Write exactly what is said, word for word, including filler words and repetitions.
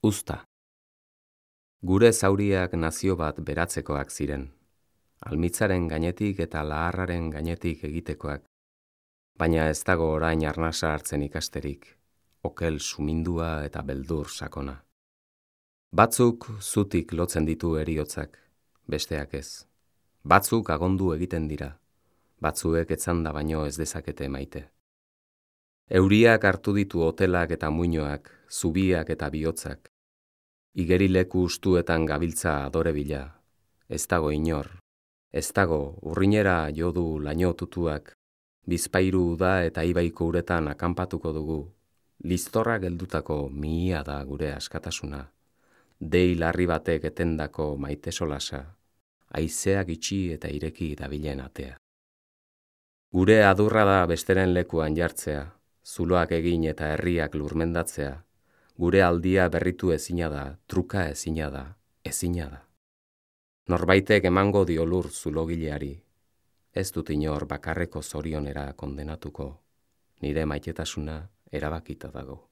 Uzta. Gure zauriak nazio bat beratzekoak ziren, almitzaren gainetik eta laharraren gainetik egitekoak, baina ez dago orain arnasa hartzen ikasterik, okel sumindua eta beldur sakona. Batzuk zutik lotzen ditu heriotzak, besteak ez. Batzuk agondu egiten dira, batzuek etzanda baino ez dezakete maite. Euriak hartu ditu hotelak eta muinoak, zubiak eta bihotzak. Igerileku ustuetan gabiltza adore bila, ez dago inor, ez dago urrinera jodu laino tutuak, bizpairu da eta ibaiko uretan akanpatuko dugu, liztorra geldutako mihia da gure askatasuna, dei larri batek etendako maite solasa, haizeak itxi eta ireki dabilen atea. Gure adurra da besteren lekuan jartzea, zuloak egin eta herriak lurmendatzea, gure aldia berritu ezina da, truka ezina da, ezina da. Norbaitek emango dio lur zulogileari, ez dut inor bakarreko zorionera kondenatuko, nire maitetasuna erabakita dago.